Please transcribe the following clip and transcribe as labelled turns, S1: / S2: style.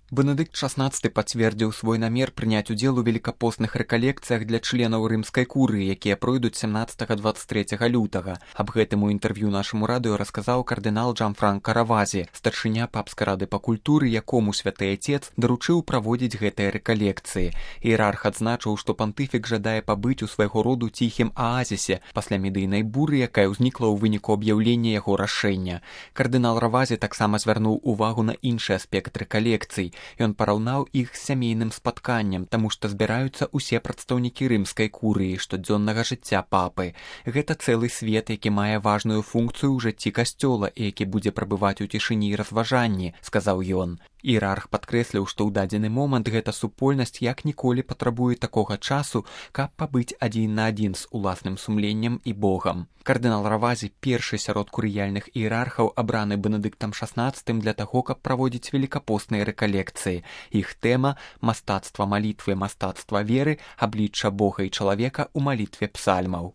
S1: Бенедыкт XVI пацвердзіў свой намер прыняць удзел у велікапостных рэкалекцыях для членаў рымскай курыі, якія пройдуць 17-23 лютага. Аб гэтым у інтэрв'ю нашаму радыё расказаў кардынал Джанфранка Равазі, старшыня папскай рады па культуры, якому святы Ацец даручыў праводзіць гэтыя рэкалекцыі. Іерарх адзначыў, што пантыфік жадае пабыць у свайго роду ціхім аазісе пасля медыйнай буры, якая ўзнікла ў выніку аб'яўлення яго рашэння. Кардынал Равазі таксама звярнуў увагу на іншы аспект рэкалекцый. Ён параўнаў іх з сямейным спатканнем, таму што збіраюцца ўсе прадстаўнікі рымскай курыі штодзённага жыцця папы. Гэта цэлы свет, які мае важную функцыю ў жыцці касцёла і які будзе прабываць у цішыні і разважанні, сказаў ён. Іерарх падкрэсліў, што ў дадзены момант гэта супольнасць як ніколі патрабуе такога часу, каб пабыць адзін на адзін з уласным сумленнем і Богам. Кардынал Равазі першы сярод курыяльных іерархаў, абраны Бенедыктам XVI для таго, каб праводзіць велікапостныя рэкалекцыі. Іх тэма – мастацтва малітвы, мастацтва веры, аблічча Бога і чалавека ў малітве псальмаў.